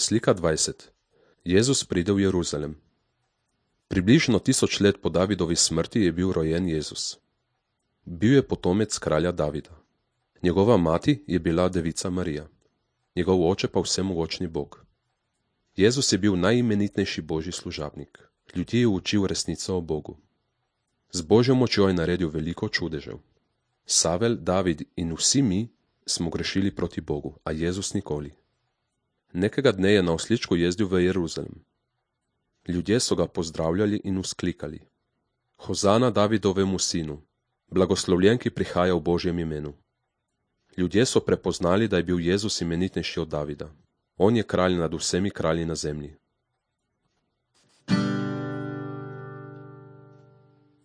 Slika 20. Jezus pride v Jeruzalem. Približno 1000 let po Davidovi smrti je bil rojen Jezus. Bil je potomec kralja Davida. Njegova mati je bila devica Marija, njegov oče pa vsemogočni Bog. Jezus je bil najimenitnejši božji služabnik. Ljudje je učil resnico o Bogu. Z božjo močjo je naredil veliko čudežev. Savel, David in vsi mi smo grešili proti Bogu, a Jezus nikoli. Nekega dne je na osličku jezdil v Jeruzalem. Ljudje so ga pozdravljali in vzklikali: Hozana Davidovemu sinu, blagoslovljen, ki prihaja v Božjem imenu. Ljudje so prepoznali, da je bil Jezus imenitnejši od Davida. On je kralj nad vsemi kralji na zemlji.